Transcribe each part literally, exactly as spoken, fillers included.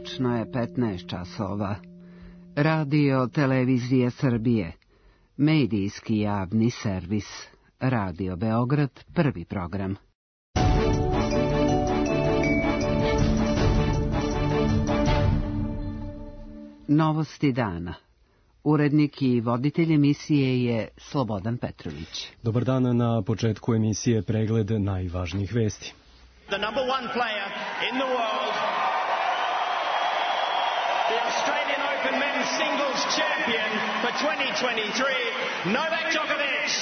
Tačno je petnaest časova. Radio Televizije Srbije. Medijski javni servis. Radio Beograd, prvi program. Novosti dana. Urednik i voditelj emisije je Slobodan Petrović. Dobar dan, na početku emisije pregled najvažnijih vesti. The number one player in the world, the Australian Open men's singles champion for twenty twenty-three, Novak Djokovic.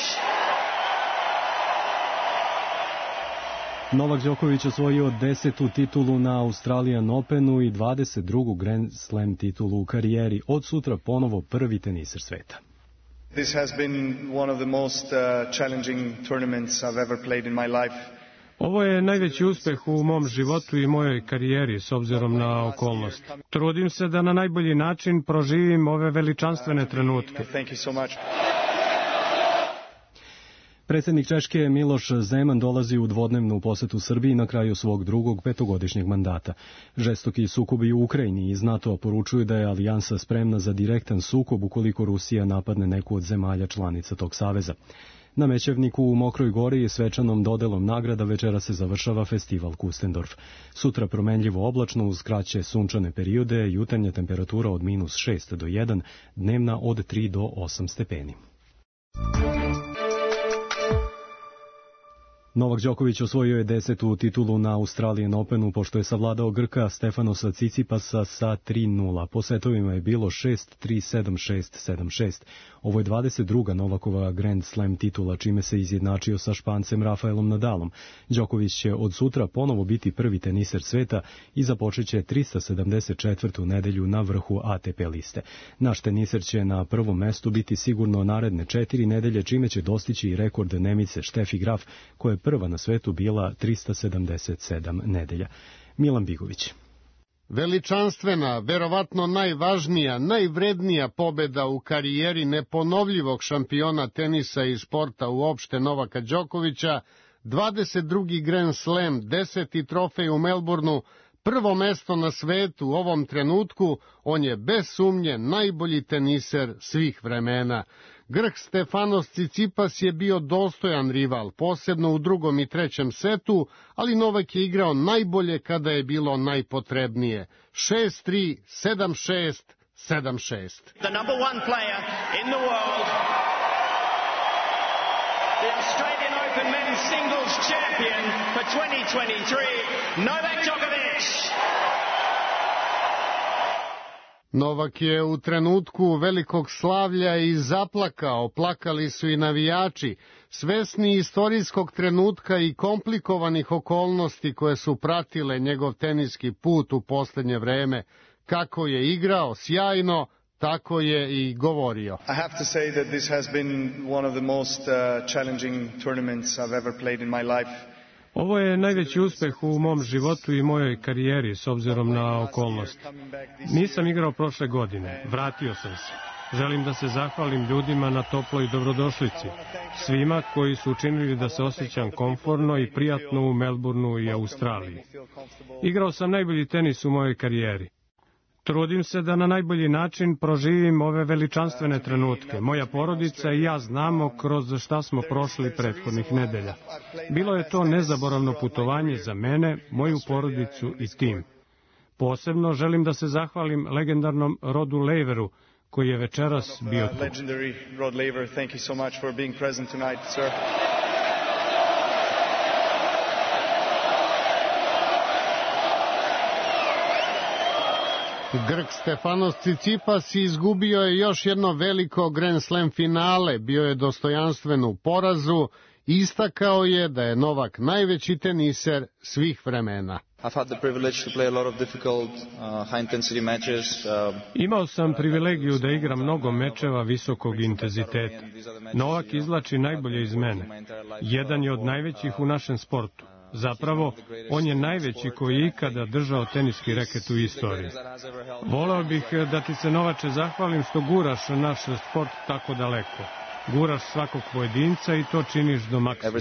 Novak Đoković osvojio desetu titulu na Australian Openu i dvadeset drugu Grand Slam titulu u karijeri. Od sutra ponovo prvi teniser sveta. This has been one of the most uh, challenging tournaments I've ever played in my life. Ovo je najveći uspeh u mom životu i mojoj karijeri s obzirom na okolnost. Trudim se da na najbolji način proživim ove veličanstvene trenutke. Thank you so much. Predsjednik Češke Miloš Zeman dolazi u dvodnevnu posetu Srbiji na kraju svog drugog petogodišnjeg mandata. Žestoki sukobi u Ukrajini iz NATO poručuju da je alijansa spremna za direktan sukob ukoliko Rusija napadne neku od zemalja članica tog saveza. Na Mećevniku u Mokroj Gori je svečanom dodelom nagrada večera se završava festival Kustendorf. Sutra promenljivo oblačno uz kraće sunčane periode, jutarnja temperatura od minus šest do jedan, dnevna od tri do osam stepeni. Novak Đoković osvojio je desetu titulu na Australian Openu pošto je savladao Grka Stefanosa Cicipasa sa tri nula. Po setovima je bilo šest tri, sedam šest, sedam šest. Ovo je dvadeset druga Novakova Grand Slam titula, čime se izjednačio sa Špancem Rafaelom Nadalom. Đoković će od sutra ponovo biti prvi teniser sveta i započeće trista sedamdeset četvrtu nedelju na vrhu A T P liste. Naš teniser će na prvom mestu biti sigurno naredne četiri nedelje, čime će dostići i rekord Nemice Štefi Graf, koja je prva na svetu bila trista sedamdeset sedam nedelja. Milan Bigović. Veličanstvena, verovatno najvažnija, najvrednija pobeda u karijeri neponovljivog šampiona tenisa i sporta uopšte Novaka Đokovića, dvadeset drugi Grand Slam, deseti trofej u Melbourneu, prvo mesto na svetu u ovom trenutku, on je bez sumnje najbolji teniser svih vremena. Grk Stefanos Cicipas je bio dostojan rival, posebno u drugom i trećem setu, ali Novak je igrao najbolje kada je bilo najpotrebnije. šest tri, sedam šest, sedam šest. The number one player in the world, the Australian Open men's singles champion for twenty twenty-three, Novak Djokovic. Novak je u trenutku velikog slavlja i zaplakao, plakali su i navijači, svesni istorijskog trenutka i komplikovanih okolnosti koje su pratile njegov teniski put u posljednje vreme. Kako je igrao sjajno, tako je i govorio. I have to say that this has been one of the most uh, challenging tournaments I've ever played in my life. Ovo je najveći uspeh u mom životu i mojoj karijeri s obzirom na okolnost. Nisam igrao prošle godine, vratio sam se. Želim da se zahvalim ljudima na toploj dobrodošlici, svima koji su učinili da se osjećam komforno i prijatno u Melbourneu i Australiji. Igrao sam najbolji tenis u mojoj karijeri. Trudim se da na najbolji način proživim ove veličanstvene trenutke. Moja porodica i ja znamo kroz šta smo prošli prethodnih nedelja. Bilo je to nezaboravno putovanje za mene, moju porodicu i tim. Posebno želim da se zahvalim legendarnom Rodu Laveru, koji je večeras bio tu. Legendary Rod Laver, thank you so much for being present tonight, sir. Grk Stefanos Cicipas izgubio je još jedno veliko Grand Slam finale, bio je dostojanstven u porazu i istakao je da je Novak najveći teniser svih vremena. Imao sam privilegiju da igram mnogo mečeva visokog intenziteta. Novak izvlači najbolje iz mene. Jedan je od najvećih u našem sportu. Zapravo, on je najveći koji je ikada držao teniski reket u istoriji. Voleo bih da ti se, Novače, zahvalim što guraš naš sport tako daleko. Guraš svakog pojedinca i to činiš do maksimuma.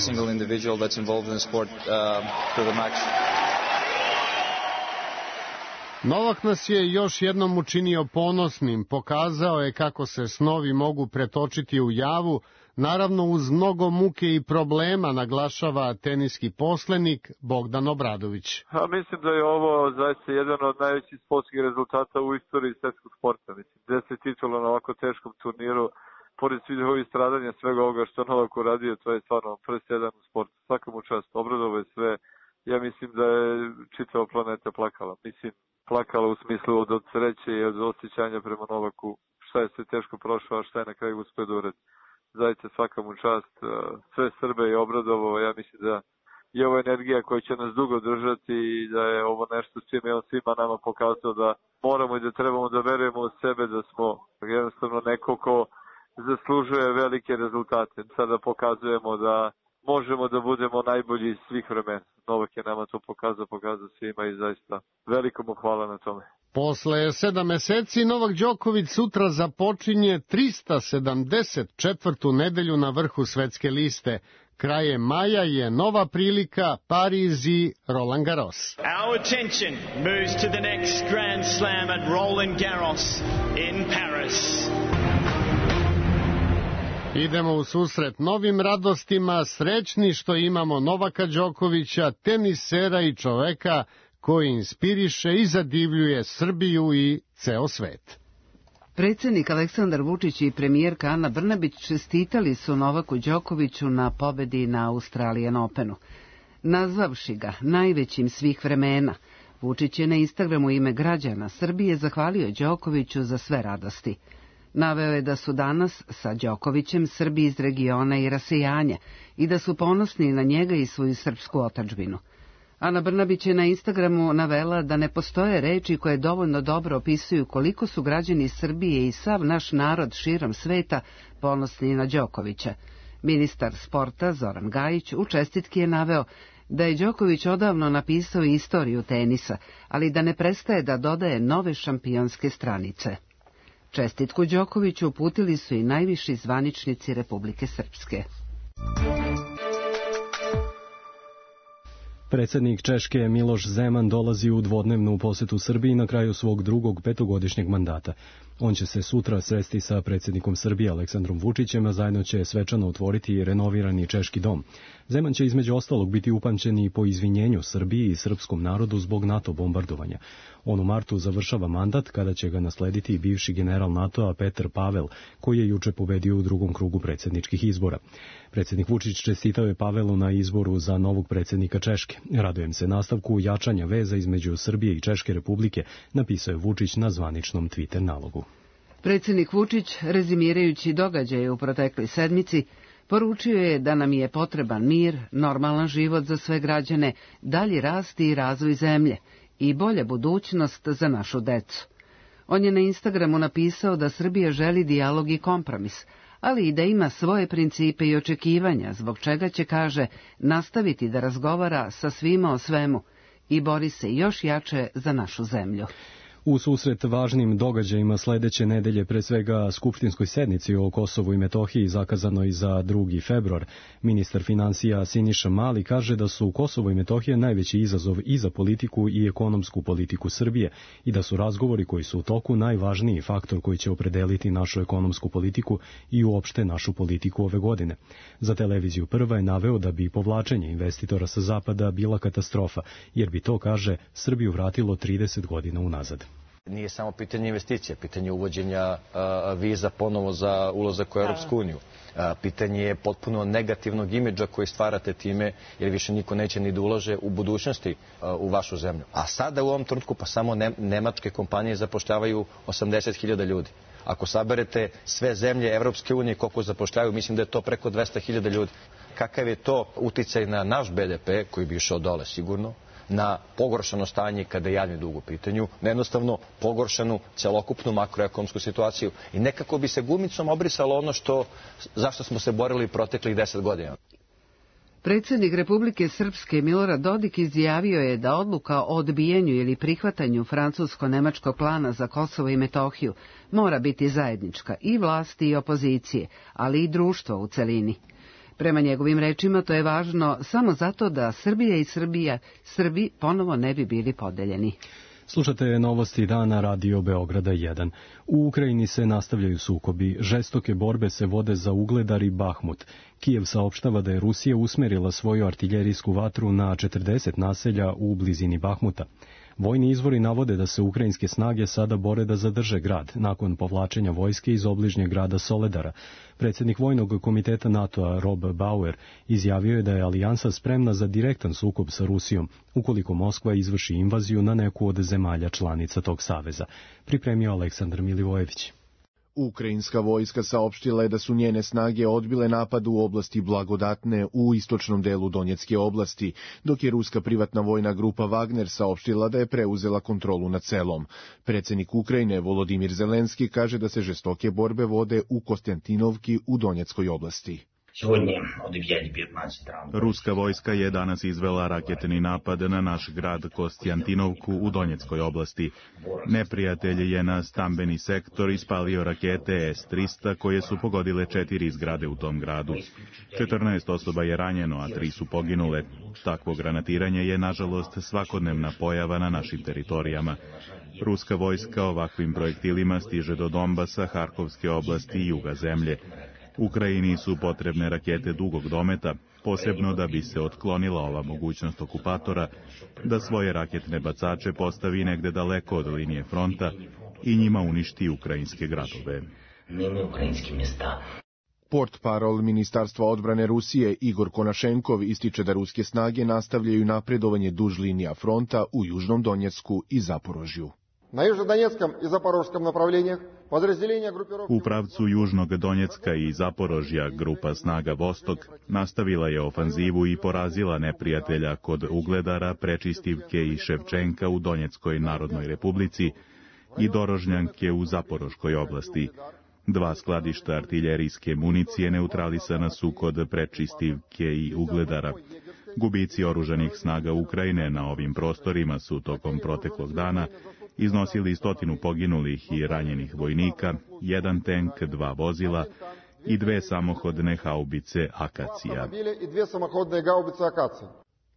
Novak nas je još jednom učinio ponosnim, pokazao je kako se snovi mogu pretočiti u javu, naravno uz mnogo muke i problema, naglašava teniski poslenik Bogdan Obradović. A mislim da je ovo zaista jedan od najvećih sportskih rezultata u istoriji svetskog sporta. Mislim, deset titula na ovako teškom turniru, pored svih ovih stradanja, svega ovoga što Novak uradio, to je stvarno presedan u sportu. Svaka mu čast, obradovo je sve. Ja mislim da je čitava planeta plakala. Mislim, plakala u smislu od, od sreće i od osjećanja prema Novaku, šta je sve teško prošao, a šta je na kraju uspio da uradi. Zaista svaka mu čast, sve Srbe je obradovo. Ja mislim da je ovo energija koja će nas dugo držati i da je ovo nešto s čime je on svima nama pokazao da moramo i da trebamo da verujemo u sebe, da smo jednostavno neko ko zaslužuje velike rezultate. Sada pokazujemo da možemo da budemo najbolji iz svih vremena. Novak je nama to pokazao, pokazao svima i zaista veliko mu hvala na tome. Posle sedam meseci Novak Đoković sutra započinje trista sedamdeset četvrtu nedelju na vrhu svetske liste. Krajem maja je nova prilika Pariz i Roland Garros. Our attention moves to the next Grand Slam at Roland Garros in Paris. Idemo u susret novim radostima, srećni što imamo Novaka Đokovića, tenisera i čoveka koji inspiriše i zadivljuje Srbiju i ceo svet. Predsjednik Aleksandar Vučić i premijerka Ana Brnabić čestitali su Novaku Đokoviću na pobedi na Australian Openu. Nazvavši ga najvećim svih vremena, Vučić je na Instagramu ime građana Srbije zahvalio Đokoviću za sve radosti. Naveo je da su danas sa Đokovićem Srbi iz regiona i rasijanja i da su ponosni na njega i svoju srpsku otadžbinu. Ana Brnabić je na Instagramu navela da ne postoje reči koje dovoljno dobro opisuju koliko su građani Srbije i sav naš narod širom sveta ponosni na Đokovića. Ministar sporta Zoran Gajić u čestitki je naveo da je Đoković odavno napisao istoriju tenisa, ali da ne prestaje da dodaje nove šampionske stranice. Čestitku Đokoviću uputili su i najviši zvaničnici Republike Srpske. Predsjednik Češke Miloš Zeman dolazi u dvodnevnu posetu Srbiji na kraju svog drugog petogodišnjeg mandata. On će se sutra sresti sa predsjednikom Srbije Aleksandrom Vučićem, a zajedno će svečano otvoriti renovirani Češki dom. Zeman će između ostalog biti upamćen i po izvinjenju Srbiji i srpskom narodu zbog NATO bombardovanja. On u martu završava mandat kada će ga naslediti i bivši general NATO-a Petr Pavel, koji je juče pobedio u drugom krugu predsjedničkih izbora. Predsjednik Vučić čestitao je Pavelu na izboru za novog predsjednika Češke. Radujem se nastavku jačanja veza između Srbije i Češke republike, napisao je Vučić na zvaničnom Twitter nalogu. Predsjednik Vučić, rezimirajući događaje u protekloj sedmici, poručio je da nam je potreban mir, normalan život za sve građane, dalji rast i razvoj zemlje i bolja budućnost za našu decu. On je na Instagramu napisao da Srbija želi dijalog i kompromis, ali i da ima svoje principe i očekivanja, zbog čega će, kaže, nastaviti da razgovara sa svima o svemu i bori se još jače za našu zemlju. U susret važnim događajima sledeće nedelje, pre svega skupštinskoj sednici o Kosovu i Metohiji zakazanoj za drugi februar, ministar finansija Siniša Mali kaže da su Kosovo i Metohija najveći izazov i za politiku i ekonomsku politiku Srbije i da su razgovori koji su u toku najvažniji faktor koji će opredeliti našu ekonomsku politiku i uopšte našu politiku ove godine. Za televiziju Prva je naveo da bi povlačenje investitora sa zapada bila katastrofa, jer bi to, kaže, Srbiju vratilo trideset godina unazad. Nije samo pitanje investicija, pitanje uvođenja a, viza ponovo za ulazak u Europsku uniju. A, pitanje je potpuno negativnog imidža koji stvarate time, jer više niko neće ni da ulaže u budućnosti a, u vašu zemlju. A sada u ovom trenutku pa samo ne, nemačke kompanije zapošljavaju osamdeset hiljada ljudi. Ako saberete sve zemlje Evropske unije koliko zapošljavaju, mislim da je to preko dvesta hiljada ljudi. Kakav je to uticaj na naš be de pe, koji bi išao dole sigurno, na pogoršano stanje kada je javni dug u pitanju, na jednostavno pogoršanu celokupnu makroekonomsku situaciju i nekako bi se gumicom obrisalo ono što, zašto smo se borili proteklih deset godina. Predsjednik Republike Srpske Milorad Dodik izjavio je da odluka o odbijanju ili prihvatanju francusko-nemačkog plana za Kosovo i Metohiju mora biti zajednička i vlasti i opozicije, ali i društva u celini. Prema njegovim rečima to je važno samo zato da Srbija i Srbija, Srbi ponovo ne bi bili podeljeni. Slušate novosti dana Radio Beograda jedan. U Ukrajini se nastavljaju sukobi. Žestoke borbe se vode za Ugledar i Bahmut. Kijev saopštava da je Rusija usmerila svoju artiljerijsku vatru na četrdeset naselja u blizini Bahmuta. Vojni izvori navode da se ukrajinske snage sada bore da zadrže grad, nakon povlačenja vojske iz obližnjeg grada Soledara. Predsjednik Vojnog komiteta NATO-a Rob Bauer izjavio je da je alijansa spremna za direktan sukob sa Rusijom, ukoliko Moskva izvrši invaziju na neku od zemalja članica tog saveza. Pripremio Aleksandar Milivojević. Ukrajinska vojska saopštila je da su njene snage odbile napad u oblasti Blagodatne u istočnom delu Donjecke oblasti, dok je ruska privatna vojna grupa Wagner saopštila da je preuzela kontrolu nad selom. Predsjednik Ukrajine Volodimir Zelenski kaže da se žestoke borbe vode u Konstantinovki u Donjeckoj oblasti. Ruska vojska je danas izvela raketni napad na naš grad Konstantinovku u Donjeckoj oblasti. Neprijatelj je na stambeni sektor ispalio rakete S trista koje su pogodile četiri zgrade u tom gradu. četrnaest osoba je ranjeno, a tri su poginule. Takvo granatiranje je, nažalost, svakodnevna pojava na našim teritorijama. Ruska vojska ovakvim projektilima stiže do Donbasa, Harkovske oblasti i juga zemlje. Ukrajini su potrebne rakete dugog dometa, posebno da bi se otklonila ova mogućnost okupatora da svoje raketne bacače postavi negde daleko od linije fronta i njima uništi ukrajinske gradove. Portparol Ministarstva odbrane Rusije Igor Konašenkov ističe da ruske snage nastavljaju napredovanje duž linija fronta u Južnom Donjecku i Zaporožju. U pravcu Južnog Donjecka i Zaporožja grupa snaga Vostok nastavila je ofanzivu i porazila neprijatelja kod Ugledara, Prečistivke i Ševčenka u Donjeckoj Narodnoj Republici i Dorožnjanke u Zaporoškoj oblasti. Dva skladišta artiljerijske municije neutralisana su kod Prečistivke i Ugledara. Gubici oružanih snaga Ukrajine na ovim prostorima su tokom proteklog dana iznosili stotinu poginulih i ranjenih vojnika, jedan tenk, dva vozila i dve samohodne haubice Akacija.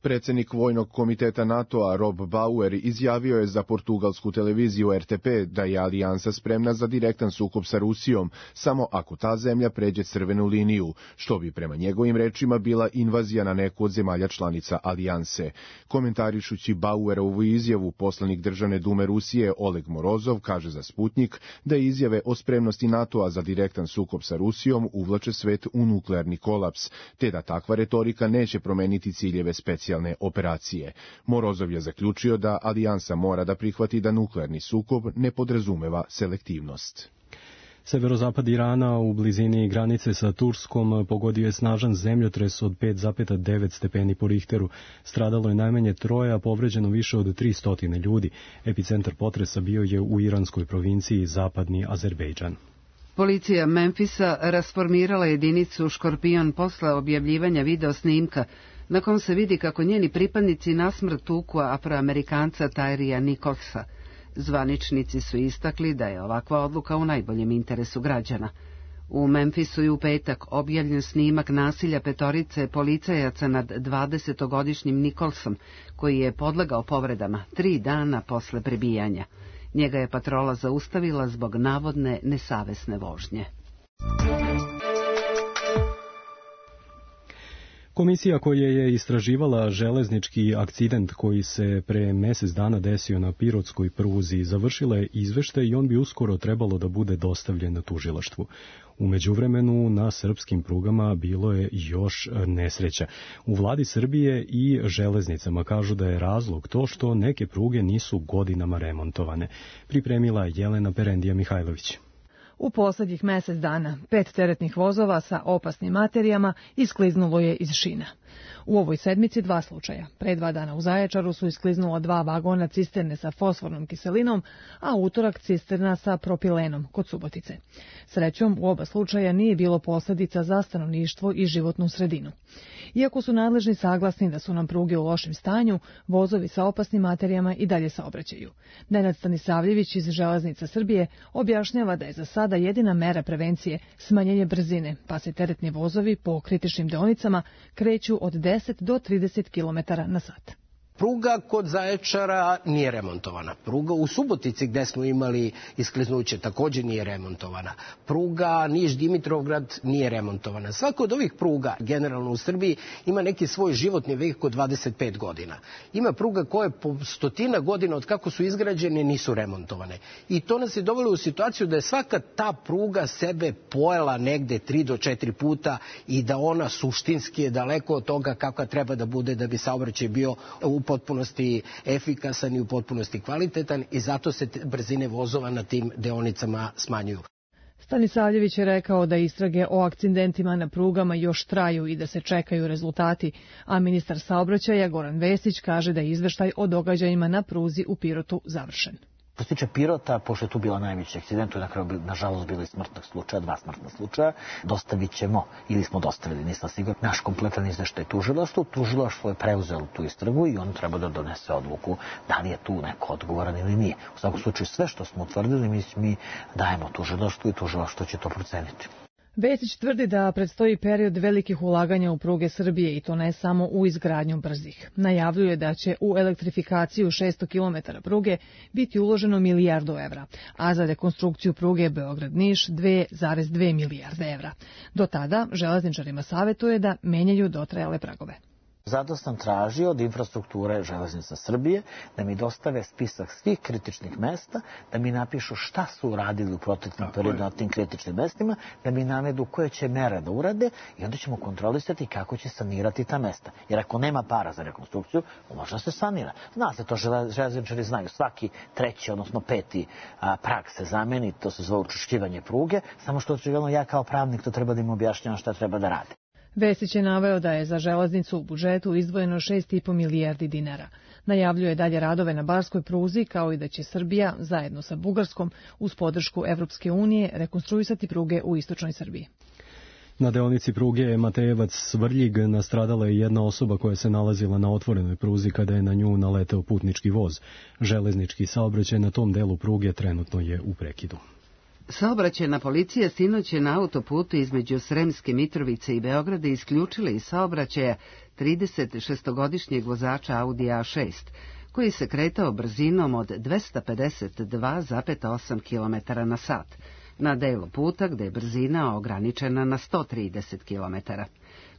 Predsjednik Vojnog komiteta NATO-a Rob Bauer izjavio je za portugalsku televiziju R T P da je alijansa spremna za direktan sukob sa Rusijom, samo ako ta zemlja pređe crvenu liniju, što bi prema njegovim rečima bila invazija na neku od zemalja članica alijanse. Komentarišući Bauerovu izjavu, poslanik Državne dume Rusije Oleg Morozov kaže za Sputnik da izjave o spremnosti NATO-a za direktan sukob sa Rusijom uvlače svet u nuklearni kolaps, te da takva retorika neće promeniti ciljeve specijalne operacije. Morozov je zaključio da alijansa mora da prihvati da nuklearni sukob ne podrazumeva selektivnost. Severozapad Irana u blizini granice sa Turskom pogodio je snažan zemljotres od pet zarez devet stepeni po Richteru. Stradalo je najmanje troje, a povređeno više od tristo ljudi. Epicentar potresa bio je u iranskoj provinciji Zapadni Azerbejdžan. Policija Memfisa rasformirala jedinicu Škorpion posle objavljivanja video snimka na kom se vidi kako njeni pripadnici nasmrt tuku Afroamerikanca Tyrija Nicholsa. Zvaničnici su istakli da je ovakva odluka u najboljem interesu građana. U Memfisu je u petak objavljen snimak nasilja petorice policajaca nad dvadesetogodišnjim Nicholsom, koji je podlegao povredama tri dana posle prebijanja. Njega je patrola zaustavila zbog navodne nesavesne vožnje. Komisija koja je istraživala železnički akcident koji se pre mesec dana desio na Pirotskoj pruzi završila je izveštaj i on bi uskoro trebalo da bude dostavljen na tužilaštvu. U međuvremenu na srpskim prugama bilo je još nesreća. U vladi Srbije i železnicama kažu da je razlog to što neke pruge nisu godinama remontovane. Pripremila Jelena Perendija Mihajlović. U poslednjih mesec dana pet teretnih vozova sa opasnim materijama iskliznulo je iz šina. U ovoj sedmici dva slučaja. Pre dva dana u Zaječaru su iskliznula dva vagona cisterne sa fosfornom kiselinom, a utorak cisterna sa propilenom kod Subotice. Srećom, u oba slučaja nije bilo posledica za stanovništvo i životnu sredinu. Iako su nadležni saglasni da su nam pruge u lošem stanju, vozovi sa opasnim materijama i dalje saobraćaju. Nenad Stanisavljević iz Železnica Srbije objašnjava da je za sada jedina mera prevencije smanjenje brzine, pa se teretni vozovi po kritičnim deonicama kreću od deset do trideset kilometara na sat. Pruga kod Zaječara nije remontovana. Pruga u Subotici gde smo imali iskliznuće također nije remontovana. Pruga Niš-Dimitrovgrad nije remontovana. Svaka od ovih pruga, generalno u Srbiji, ima neki svoj životni vek od dvadeset pet godina. Ima pruga koje po stotina godina od kako su izgrađene nisu remontovane. I to nas je dovelo u situaciju da je svaka ta pruga sebe pojela negde tri do četiri puta i da ona suštinski je daleko od toga kakva treba da bude da bi saobraćaj bio u potpunosti efikasan i u potpunosti kvalitetan i zato se brzine vozova na tim deonicama smanjuju. Stanisavljević je rekao da istrage o akcidentima na prugama još traju i da se čekaju rezultati, a ministar saobraćaja Goran Vesić kaže da je izveštaj o događajima na pruzi u Pirotu završen. Što se tiče Pirota, pošto je tu bila najveći akcident, tu je na kraju nažalost bilo i smrtnog slučaja, dva smrtna slučaja, dostavit ćemo, ili smo dostavili, nisam siguran, naš kompletan izveštaj tužilaštvu. Tužilaštvo je preuzelo tu istragu i on treba da donese odluku da li je tu neko odgovoran ili nije. U svakom slučaju sve što smo utvrdili mi, mi dajemo tužilaštvu i tužilaštvo će to proceniti. Vesić tvrdi da predstoji period velikih ulaganja u pruge Srbije i to ne samo u izgradnju brzih. Najavljuje da će u elektrifikaciju šesto kilometara pruge biti uloženo milijardu evra, a za rekonstrukciju pruge Beograd-Niš dve zarez dve milijarde evra. Do tada železničarima savetuje da menjaju dotrajale pragove. Zato sam tražio od infrastrukture Železnica Srbije da mi dostave spisak svih kritičnih mesta, da mi napišu šta su uradili u proteklom periodu na tim kritičnim mestima, da mi navedu koje će mere da urade i onda ćemo kontrolisati kako će sanirati ta mesta. Jer ako nema para za rekonstrukciju, može da se sanira. Zna se to, železničari znaju, svaki treći, odnosno peti a, prag se zameni, to se zove učvršćivanje pruge, samo što očigledno ja kao pravnik to treba da im objašnjavam šta treba da rade. Vesić je naveo da je za železnicu u budžetu izdvojeno šest i po milijardi dinara. Najavljuje dalje radove na barskoj pruzi, kao i da će Srbija, zajedno sa Bugarskom, uz podršku Evropske unije, rekonstruisati pruge u istočnoj Srbiji. Na deonici pruge Matejevac-Svrljig nastradala je jedna osoba koja se nalazila na otvorenoj pruzi kada je na nju naleteo putnički voz. Železnički saobraćaj na tom delu pruge trenutno je u prekidu. Saobraćajna policija sinoć je na autoputu između Sremske Mitrovice i Beograda isključila iz saobraćaja trideset šestogodišnjeg vozača Audi A šest, koji se kretao brzinom od dvesta pedeset dva zarez osam kilometara na sat, na delu puta gde je brzina ograničena na sto trideset kilometara.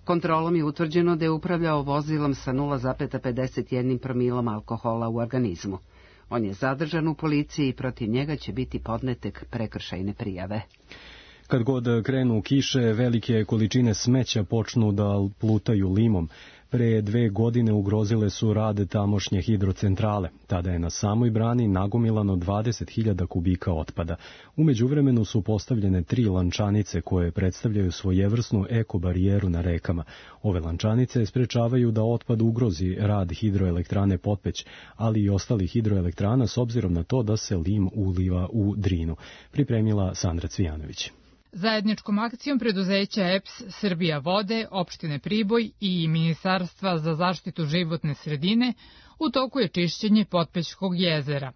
Kontrolom je utvrđeno da je upravljao vozilom sa nula zarez pedeset jedan promilom alkohola u organizmu. On je zadržan u policiji i protiv njega će biti podnetek prekršajne prijave. Kad god krenu kiše, velike količine smeća počnu da plutaju limom. Pre dve godine ugrozile su rad tamošnje hidrocentrale. Tada je na samoj brani nagomilano dvadeset hiljada kubika otpada. U međuvremenu su postavljene tri lančanice koje predstavljaju svojevrsnu ekobarijeru na rekama. Ove lančanice sprečavaju da otpad ugrozi rad hidroelektrane Potpeć, ali i ostalih hidroelektrana s obzirom na to da se lim uliva u Drinu. Pripremila Sandra Cvijanović. Zajedničkom akcijom preduzeća E P S, Srbija vode, opštine Priboj i Ministarstva za zaštitu životne sredine u toku je čišćenje Potpećkog jezera.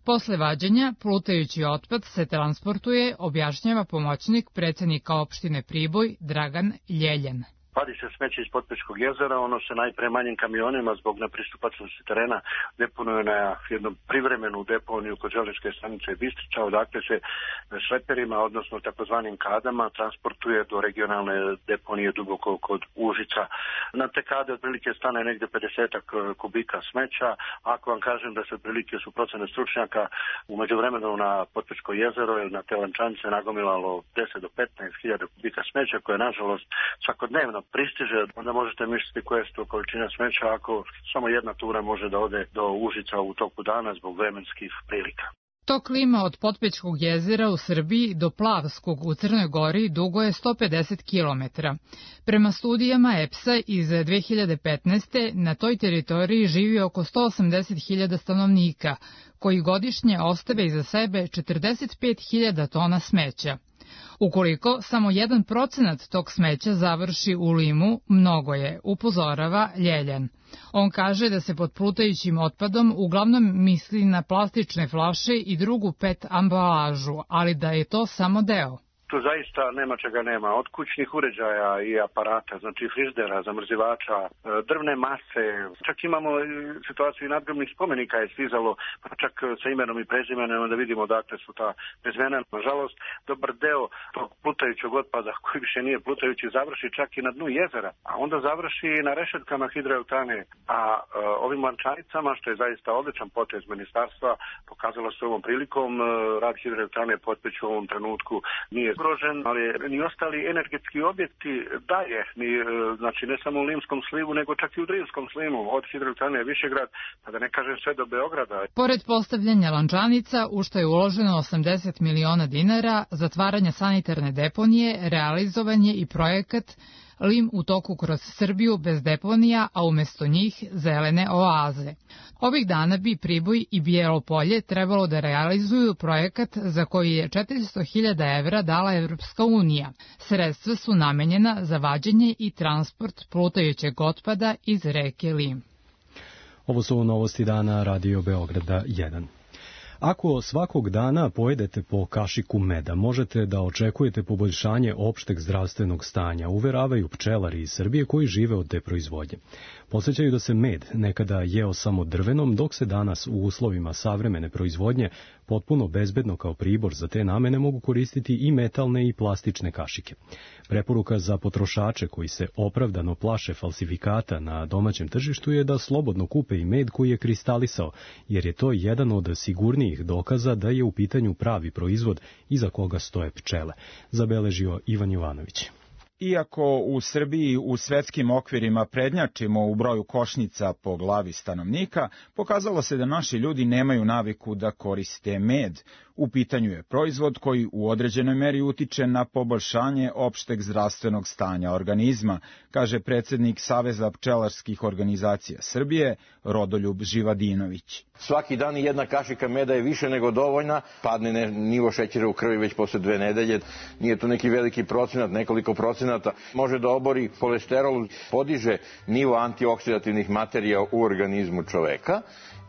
Posle vađenja, plutajući otpad se transportuje, objašnjava pomoćnik predsednika opštine Priboj Dragan Ljeljan. Vadi se smeće iz Potpećkog jezera, ono se najpre manjim kamionima zbog nepristupačnosti terena deponuje na jednu privremenu deponiju kod železničke stanice Bistrica, odakle se šleperima, odnosno takozvanim kadama, transportuje do regionalne deponije duboko kod Užica. Na te kade otprilike stane negde pedesetak kubika smeća. Ako vam kažem da se otprilike su procene stručnjaka u međuvremenu na Potpećko jezero ili na te lančanice nagomilalo deset do petnaest hiljada kubika smeća koje nažalost svakodnevno pristiže, onda možete misliti koje su to količine smeća ako samo jedna tura može da ode do Užica u toku dana zbog vremenskih prilika. Tok lima od Potpećkog jezera u Srbiji do Plavskog u Crnoj Gori dugo je sto pedeset kilometara. Prema studijama E P S-a iz dve hiljade petnaeste. na toj teritoriji živi oko sto osamdeset hiljada stanovnika, koji godišnje ostave iza sebe četrdeset pet hiljada tona smeća. Ukoliko samo jedan procenat tog smeća završi u limu, mnogo je, upozorava Ljeljan. On kaže da se pod plutajućim otpadom uglavnom misli na plastične flaše i drugu pet ambalažu, ali da je to samo deo. tu zaista nema čega nema. Od kućnih uređaja i aparata, znači frižidera, zamrzivača, drvne mase. Čak imamo situaciju i nadgrobnih spomenika je stizalo, pa čak sa imenom i prezimenom da vidimo odakle su ta prezimena. Nažalost, dobar deo tog plutajućeg otpada koji više nije plutajući završi čak i na dnu jezera, a onda završi na rešetkama hidroelektrane. A e, ovim lančanicama, što je zaista odličan potez ministarstva, pokazalo se ovom prilikom, e, rad hidroelektrane Potpeć u ovom trenutku nije ugrožen, ali ni ostali energetski objekti daje, ni, e, znači ne samo u Limskom slivu, nego čak i u Drivskom slivu, od hidroelektrane Višegrad, pa da ne kažem sve do Beograda. Pored postavljanja lančanica, u što je uloženo osamdeset miliona dinara, zatvaranja sanitarne deponije, realizovan je i projekat Lim u toku kroz Srbiju bez deponija, a umesto njih zelene oaze. Ovih dana bi Priboj i Bijelo Polje trebalo da realizuju projekat za koji je četiristo hiljada evra dala Evropska unija. Sredstva su namenjena za vađenje i transport plutajućeg otpada iz reke Lim. Ovo su novosti dana Radio Beograda jedan. Ako svakog dana pojedete po kašiku meda, možete da očekujete poboljšanje opšteg zdravstvenog stanja, uveravaju pčelari iz Srbije koji žive od te proizvodnje. Podsećaju da se med nekada jeo samo drvenom, dok se danas u uslovima savremene proizvodnje potpuno bezbedno kao pribor za te namene mogu koristiti i metalne i plastične kašike. Preporuka za potrošače koji se opravdano plaše falsifikata na domaćem tržištu je da slobodno kupe i med koji je kristalisao, jer je to jedan od sigurnijih dokaza da je u pitanju pravi proizvod iza koga stoje pčele, zabeležio Ivan Jovanović. Iako u Srbiji u svetskim okvirima prednjačimo u broju košnica po glavi stanovnika, pokazalo se da naši ljudi nemaju naviku da koriste med. U pitanju je proizvod koji u određenoj meri utiče na poboljšanje opšteg zdravstvenog stanja organizma, kaže predsednik Saveza pčelarskih organizacija Srbije, Rodoljub Živadinović. Svaki dan jedna kašika meda je više nego dovoljna, padne nivo šećera u krvi već posle dve nedelje, nije to neki veliki procenat, nekoliko procenata, može da obori kolesterol, podiže nivo antioksidativnih materija u organizmu čoveka.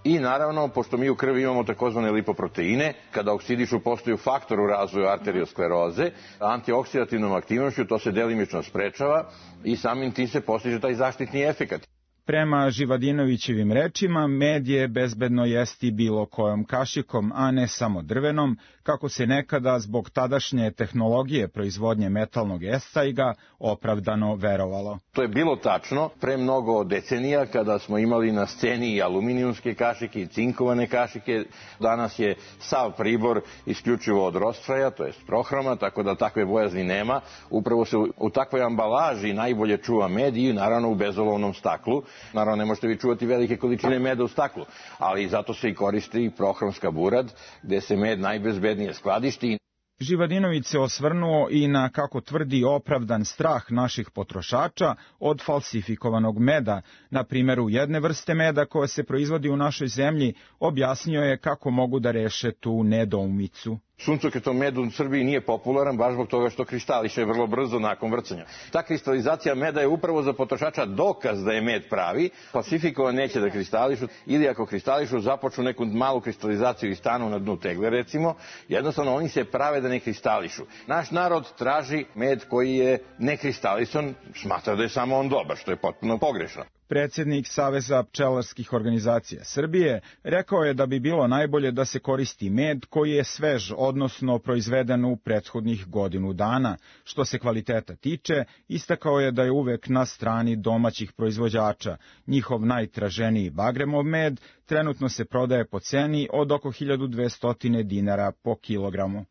I naravno, pošto mi u krvi imamo takozvane lipoproteine, kada oksidišu postaju faktor u razvoju arterioskleroze, antioksidativnom aktivnošću to se delimično sprečava i samim tim se postiže taj zaštitni efekat. Prema Živadinovićevim rečima, med je bezbedno jesti bilo kojom kašikom, a ne samo drvenom, kako se nekada zbog tadašnje tehnologije proizvodnje metalnog estajga opravdano verovalo. To je bilo tačno pre mnogo decenija kada smo imali na sceni i aluminijumske kašike i cinkovane kašike. Danas je sav pribor isključivo od rostfraja, to je prohroma, tako da takve bojazni nema. Upravo se u takvoj ambalaži najbolje čuva med i naravno u bezolovnom staklu. Naravno, ne možete vi čuvati velike količine meda u staklu, ali zato se i koristi prohromska burad, gde se med najbezbednije skladišti. Živadinović se osvrnuo i na, kako tvrdi, opravdan strah naših potrošača od falsifikovanog meda. Na primjeru jedne vrste meda koja se proizvodi u našoj zemlji, objasnio je kako mogu da reše tu nedoumicu. Suncokretom med u Srbiji nije popularan baš zbog toga što kristališe vrlo brzo nakon vrcanja. Ta kristalizacija meda je upravo za potrošača dokaz da je med pravi. Falsifikovan neće da kristališu ili ako kristališu započnu neku malu kristalizaciju i stanu na dnu tegle recimo. Jednostavno oni se prave da ne kristališu. Naš narod traži med koji je nekristalisan, smatra da je samo on dobar, što je potpuno pogrešno. Predsednik Saveza pčelarskih organizacija Srbije rekao je da bi bilo najbolje da se koristi med koji je svež, odnosno proizveden u prethodnih godinu dana. Što se kvaliteta tiče, istakao je da je uvek na strani domaćih proizvođača. Njihov najtraženiji bagremov med trenutno se prodaje po ceni od oko hiljadu dvesta dinara po kilogramu.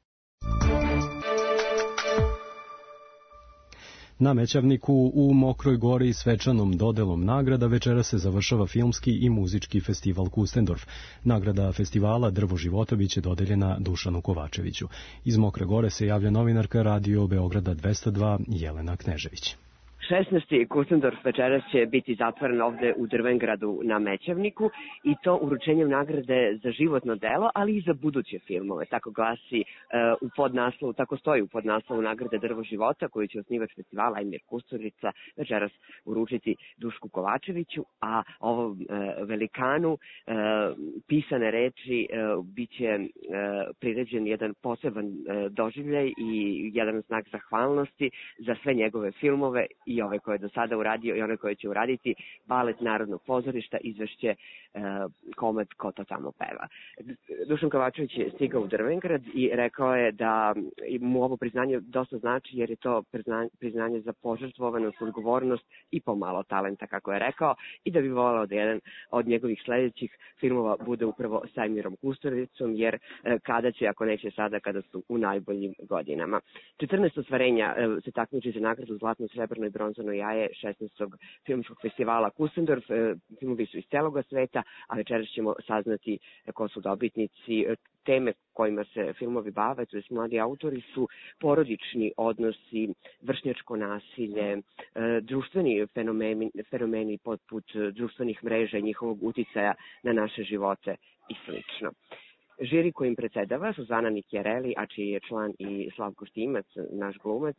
Na Mećavniku u Mokroj Gori svečanom dodelom nagrada večera se završava filmski i muzički festival Kustendorf. Nagrada festivala Drvo života biće dodeljena Dušanu Kovačeviću. Iz Mokre Gore se javlja novinarka Radio Beograda dvesta dva Jelena Knežević. šesnaesti Kusendorf večeras će biti zatvoren ovde u Drvengradu na Mećavniku i to uručenjem nagrade za životno delo, ali i za buduće filmove. Tako glasi uh, u podnaslovu, tako stoji u podnaslovu nagrade Drvo života koju će osnivač festivala Ajmir Kusturica večeras uručiti Dušku Kovačeviću, a ovom uh, velikanu uh, pisane reči uh, biće uh, priređen jedan poseban uh, doživljaj i jedan znak zahvalnosti za sve njegove filmove i ove koje je do sada uradio i one koje će uraditi. Balet Narodnog pozorišta izvešće e, Komad ko to tamo peva. Dušan Kovačević je stigao u Drvengrad i rekao je da mu ovo priznanje dosta znači jer je to priznanje za požrtvovanost, odgovornost i pomalo talenta, kako je rekao, i da bi volao da jedan od njegovih sledećih filmova bude upravo sa Ajmirom Kusturicom, jer e, kada će, ako neće sada, kada su u najboljim godinama. četrnaest ostvarenja e, se takmiči za nagradu Zlatno, srebrno i bronzano jaje šesnaestog filmskog festivala Kusendorf. Filmovi su iz celoga sveta, a večeras ćemo saznati ko su dobitnici. Teme kojima se filmovi bave, to je mladi autori, su porodični odnosi, vršnjačko nasilje, društveni fenomeni, fenomeni poput društvenih mreža i njihovog uticaja na naše živote i slično. Žiri kojim predsedava Suzana Nikjereli, a čiji je član i Slavko Štimac, naš glumac,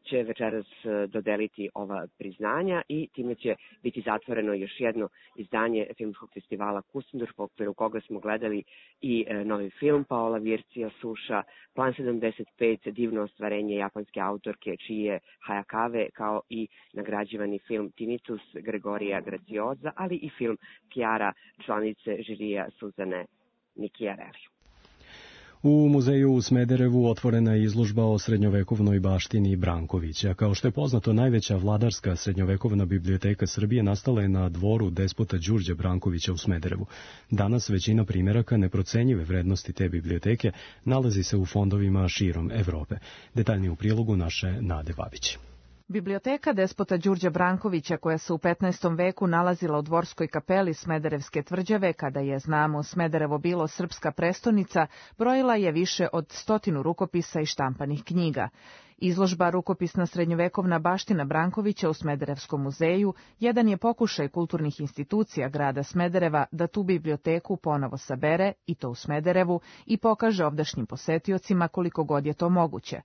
će večeras dodeliti ova priznanja i time će biti zatvoreno još jedno izdanje filmskog festivala Kusendorf, u okviru koga smo gledali i novi film Paola Vircija Suša, Plan sedamdeset pet, divno ostvarenje japanske autorke čiji je Hayakawe, kao i nagrađivani film Tinnitus Gregorija Gracioza, ali i film Chiara, članice žirija Suzane Nikjereli. U muzeju u Smederevu otvorena je izložba o srednjovekovnoj baštini Brankovića. Kao što je poznato, najveća vladarska srednjovekovna biblioteka Srbije nastala je na dvoru despota Đurđa Brankovića u Smederevu. Danas većina primeraka neprocenjive vrednosti te biblioteke nalazi se u fondovima širom Evrope. Detaljnije u prilogu naše Nade Babić. Biblioteka despota Đurđa Brankovića, koja se u petnaestom veku nalazila u dvorskoj kapeli Smederevske tvrđave, kada je, znamo, Smederevo bilo srpska prestonica, brojila je više od stotinu rukopisa i štampanih knjiga. Izložba Rukopisna srednjovekovna baština Brankovića u Smederevskom muzeju jedan je pokušaj kulturnih institucija grada Smedereva da tu biblioteku ponovo sabere, i to u Smederevu, i pokaže ovdašnjim posetiocima koliko god je to moguće.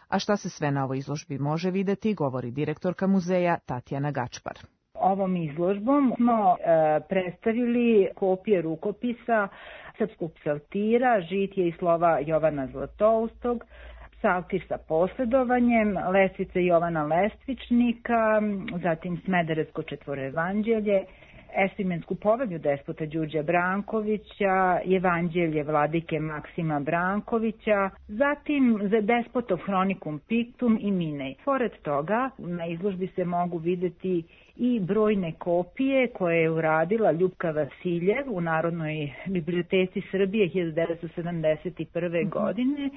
A šta se sve na ovoj izložbi može videti, govori direktorka muzeja Tatjana Gačpar. Ovom izložbom smo e, predstavili kopije rukopisa srpskog psaltira, žitije i slova Jovana Zlatoustog, psaltir sa posledovanjem, lestvice Jovana Lestvičnika, zatim Smederevsko četvoroevanđelje, Esvimensku povelju despota Đurđa Brankovića, Evanđelje vladike Maksima Brankovića, zatim za despotov Hronikum Pictum i Minej. Pored toga, na izložbi se mogu videti i brojne kopije koje je uradila Ljupka Vasiljev u Narodnoj biblioteci Srbije hiljadu devetsto sedamdeset prve. godine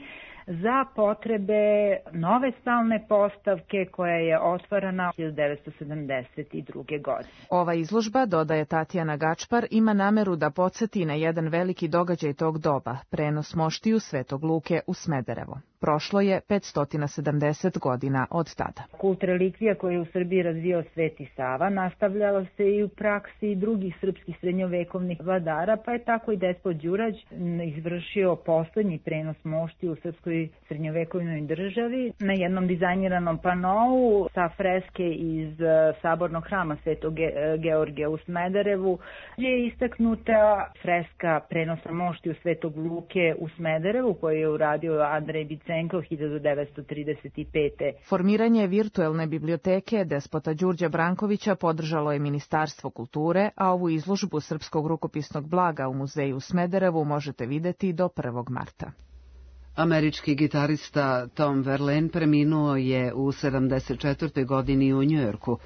za potrebe nove stalne postavke koja je otvarana hiljadu devetsto sedamdeset druge. godine. Ova izložba, dodaje Tatjana Gačpar, ima nameru da podsjeti na jedan veliki događaj tog doba, prenos moštiju Svetog Luke u Smederevo. Prošlo je petsto sedamdeset godina od tada. Kult relikvija koji je u Srbiji razvio Sveti Sava nastavljalo se i u praksi drugih srpskih srednjovekovnih vladara, pa je tako i despot Đurađ izvršio poslednji prenos moštiju u srpskoj srednjovekovnoj državi na jednom dizajniranom panou sa freske iz sabornog hrama Svetog Georgija u Smederevu je istaknuta freska prenosa moštiju Svetog Luke u Smederevu koju je uradio Andrej Bicenko hiljadu devetsto trideset pete. Formiranje virtuelne biblioteke despota Đurđa Brankovića podržalo je Ministarstvo kulture, a ovu izložbu srpskog rukopisnog blaga u muzeju u Smederevu možete videti do prvog marta. Američki gitarista Tom Verlaine preminuo je u sedamdeset četvrtoj godini u Njujorku.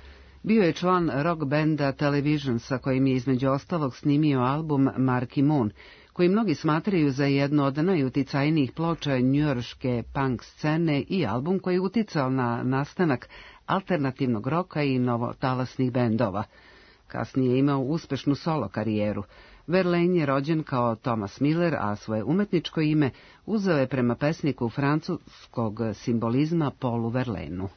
Bio je član rock benda Television, sa kojim je između ostalog snimio album Marky Moon, koji mnogi smatraju za jednu od najuticajnijih ploča njujorške punk scene i album koji je uticao na nastanak alternativnog roka i novotalasnih bendova. Kasnije je imao uspešnu solo karijeru. Verlaine je rođen kao Thomas Miller, a svoje umetničko ime uzeo je prema pesniku francuskog simbolizma Paulu Verlaineu.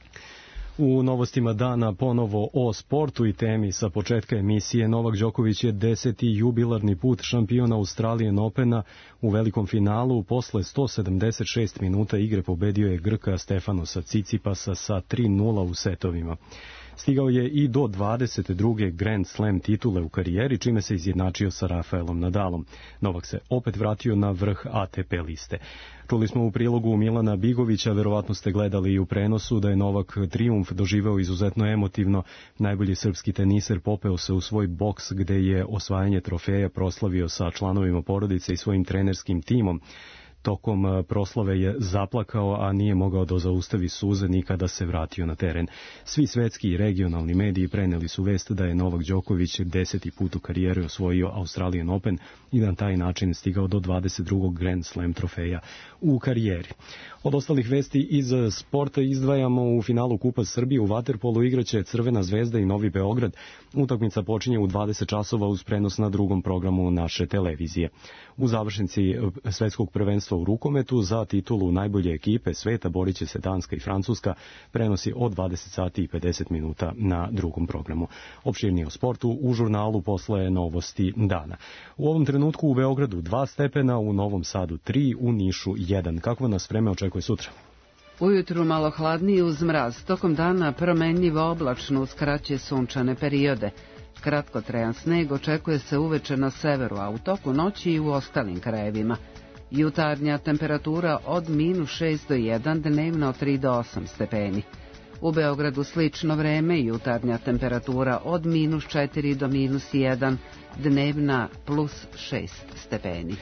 U novostima dana ponovo o sportu i temi sa početka emisije. Novak Đoković je deseti jubilarni put šampion Australian Opena. U velikom finalu posle sto sedamdeset šest minuta igre pobedio je Grka Stefanosa Cicipasa sa tri nula u setovima. Stigao je i do dvadeset druge Grand Slam titule u karijeri, čime se izjednačio sa Rafaelom Nadalom. Novak se opet vratio na vrh A T P liste. Čuli smo u prilogu Milana Bigovića, verovatno ste gledali i u prenosu, da je Novak trijumf doživeo izuzetno emotivno. Najbolji srpski teniser popeo se u svoj boks gde je osvajanje trofeja proslavio sa članovima porodice i svojim trenerskim timom. Tokom proslave je zaplakao, a nije mogao da zaustavi suze ni kada se vratio na teren. Svi svetski i regionalni mediji preneli su vest da je Novak Đoković deseti put u karijeri osvojio Australian Open i na taj način stigao do dvadeset drugog Grand Slam trofeja u karijeri. Od ostalih vesti iz sporta izdvajamo u finalu Kupa Srbije u vaterpolu igraće Crvena zvezda i Novi Beograd. Utakmica počinje u dvadeset časova uz prenos na drugom programu naše televizije. U završnici svetskog prvenstva u rukometu za titulu najbolje ekipe sveta borit će se Danska i Francuska, prenosi od dvadeset sati i pedeset minuta na drugom programu. Opširnije o sportu u žurnalu posle novosti dana. U ovom trenutku u Beogradu dva stepena, u Novom Sadu tri, u Nišu jedan. Kakvo nas vreme očekuje sutra? Ujutru malo hladnije uz mraz, tokom dana promenljivo oblačno uz kraće sunčane periode. Kratkotrajan sneg očekuje se uveče na severu, a u toku noći i u ostalim krajevima. Jutarnja temperatura od minus šest do jedan, dnevno od tri do osam stepeni. U Beogradu slično vreme, jutarnja temperatura od minus četiri do minus jedan, dnevna plus šest stepeni.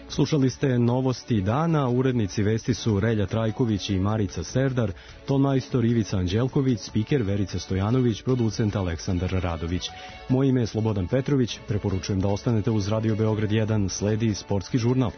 Slušali ste novosti dana, urednici vesti su Relja Trajković i Marica Serdar, tonmajstor Ivica Anđelković, spiker Verica Stojanović, producent Aleksandar Radović. Moje ime je Slobodan Petrović, preporučujem da ostanete uz Radio Beograd jedan, sledi sportski žurnal.